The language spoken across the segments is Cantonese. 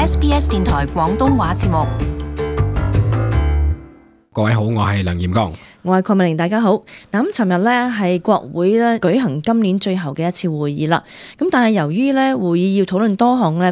SBS 電台廣東話節目。各位好，我係梁炎剛。我係鄺美玲，大家好。咁尋日呢係國會咧舉行今年最後嘅一次會議啦。咁但係由於咧會議要討論多項咧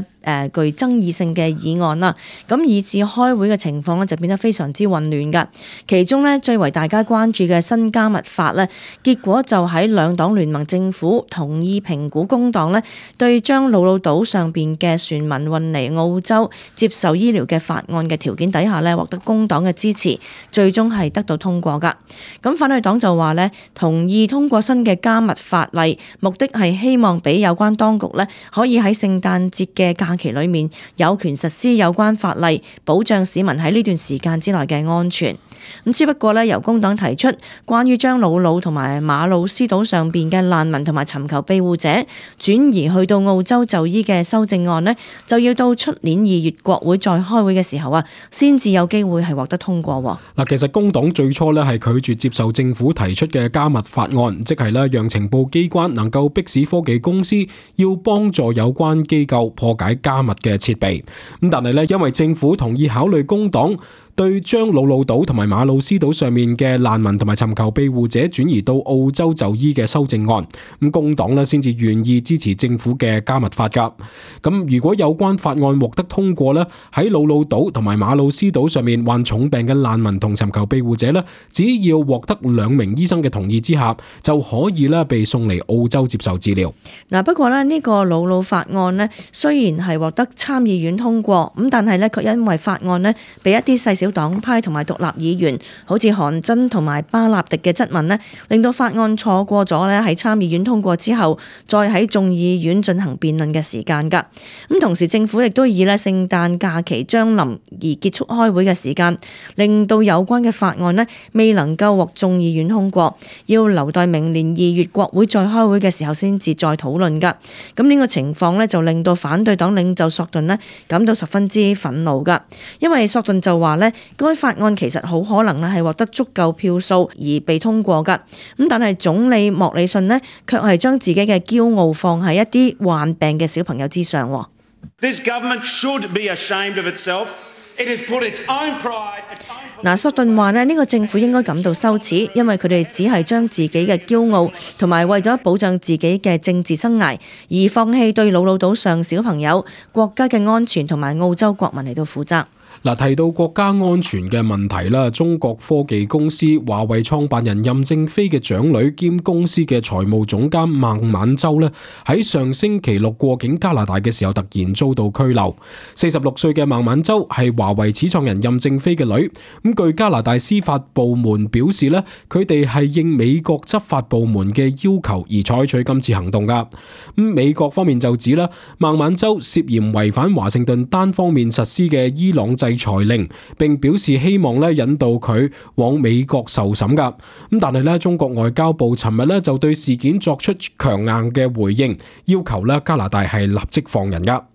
具爭議性嘅議案啦，咁以致開會嘅情況咧就變得非常之混亂噶。其中咧最為大家關注嘅新加密法咧，結果就喺兩黨聯盟政府同意評估工黨咧對將魯魯島上邊嘅船民運嚟澳洲接受醫療嘅法案嘅條件底下咧，獲得工黨嘅支持，最終係得到通過噶。咁反對黨就話咧，同意通過新嘅加密法例，目的係希望俾有關當局咧，可以喺聖誕節嘅假期裏面有權實施有關法例，保障市民喺呢段時間之內嘅安全。咁只不過咧，由工黨提出關於將魯魯同埋馬魯斯島上邊嘅難民同埋尋求庇護者轉移去到澳洲就醫嘅修正案呢，就要到出年2月國會再開會嘅時候啊，先至有機會係獲得通過。嗱，其實工黨最初咧係拒絕接受政府提出嘅加密法案，即係咧讓情報機關能夠迫使科技公司要幫助有關機構破解加密嘅設備。咁但係咧，因為政府同意考慮工黨對將魯魯島同埋馬魯斯島上面嘅難民同埋尋求庇護者轉移到澳洲就醫嘅修正案，咁工黨咧先至願意支持政府嘅加密法噶。咁如果有關法案獲得通過咧，喺魯魯島同埋馬魯斯島上面患重病嘅難民同尋求庇護者咧，只要獲得2名醫生嘅同意之下，就可以咧被送嚟澳洲接受治療。嗱，不過咧呢個魯魯法案咧，雖然係獲得參議院通過，咁但係咧卻因為法案咧被一啲細小黨派同埋獨立議員，好似韓真同埋巴納迪嘅質問呢，令到法案錯過咗咧喺參議院通過之後，再喺眾議院進行辯論嘅時間噶。咁同時政府亦都以咧聖誕假期將臨而結束開會嘅時間，令到有關嘅法案呢未能夠獲眾議院通過，要留待明年2月國會再開會嘅時候先至再討論噶。咁呢個情況呢，就令到反對黨領袖索頓呢感到十分之憤怒噶，因為索頓就話呢，該法案其實好可能咧係獲得足夠票數而被通過噶，咁但係總理莫里遜呢，卻係將自己嘅驕傲放喺一啲患病嘅小朋友之上。This government should be ashamed of itself. It has put its own pride. 索頓話呢個政府應該感到羞恥，因為佢哋只係將自己嘅驕傲同埋為咗保障自己嘅政治生涯而放棄對魯魯島上小朋友、國家嘅安全同埋澳洲國民嚟到負責。嗱，提到國家安全嘅問題啦，中國科技公司華為創辦人任正非嘅長女兼公司嘅財務總監孟晚舟咧，喺上星期六過境加拿大嘅時候突然遭到拘留。46歲嘅孟晚舟係華為始創人任正非嘅女。咁據加拿大司法部門表示咧，佢哋係應美國執法部門嘅要求而採取今次行動噶。咁美國方面就指啦，孟晚舟涉嫌違反華盛頓單方面實施嘅伊朗制裁令，並表示希望咧引導佢往美國受審噶。咁但係咧，中國外交部尋日咧就對事件作出強硬嘅回應，要求咧加拿大係立即放人噶。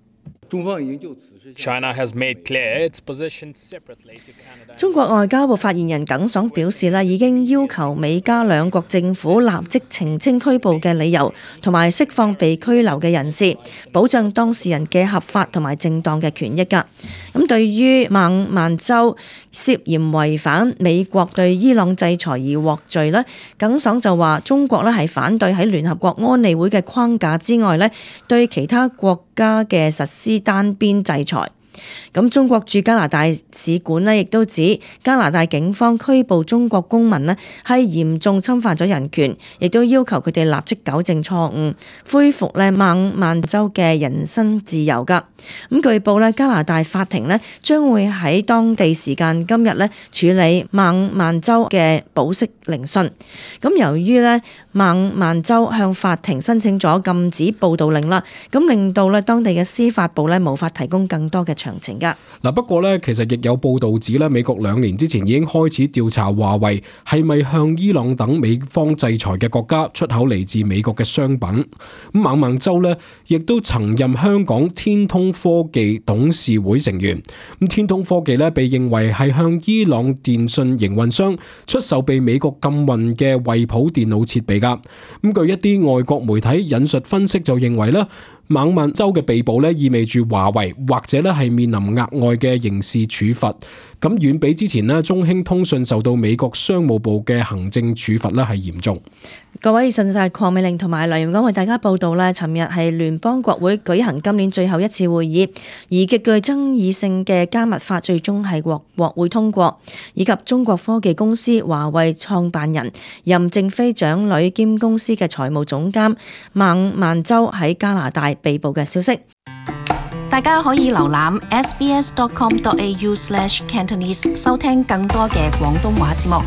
中方已經就此事 China has made clear its position separately to Canada. 中國外交部發言人耿爽表示啦，已經要求美加兩國政府立即澄清拘捕嘅理由，同埋釋放被拘留嘅人士，保障當事人嘅合法同埋正當嘅權益㗎。咁對於孟晚舟涉嫌違反美國對伊朗制裁而獲罪呢，耿爽就話中國咧係反對喺聯合國安理會嘅框架之外咧，對其他國家嘅實施單邊制裁。咁中國駐加拿大使館呢亦都指加拿大警方拘捕中國公民呢係嚴重侵犯咗人權，亦都要求佢哋立即糾正錯誤，恢復咧孟晚舟嘅人身自由噶。咁據報咧，加拿大法庭呢將會喺當地時間今日咧處理孟晚舟嘅保釋聆訊。咁由於咧孟晚舟向法庭申請咗禁止報道令啦，咁令到咧當地嘅司法部咧無法提供更多嘅詳情噶。嗱，不過咧，其實亦有報道指咧，美國2年之前已經開始調查華為係咪向伊朗等美方制裁嘅國家出口嚟自美國嘅商品。咁孟晚舟咧，亦都曾任香港天通科技董事會成員。咁天通科技咧，被認為係向伊朗電信營運商出售被美國禁運嘅惠普電腦設備噶。咁據一啲外國媒體引述分析就認為咧，孟晚舟嘅被捕咧，意味住華為或者咧係面臨額外嘅刑事處罰，咁遠比之前咧中興通訊受到美國商務部嘅行政處罰咧係嚴重。各位，以上就係鄺美玲同埋梁琬講為大家報道咧，尋日係聯邦國會舉行今年最後一次會議，而極具爭議性嘅加密法最終係獲國會通過，以及中國科技公司華為創辦人任正非長女兼公司嘅財務總監孟晚舟喺加拿大被捕嘅消息。大家可以瀏覽 sbs.com.au/Cantonese 收聽更多嘅廣東話節目。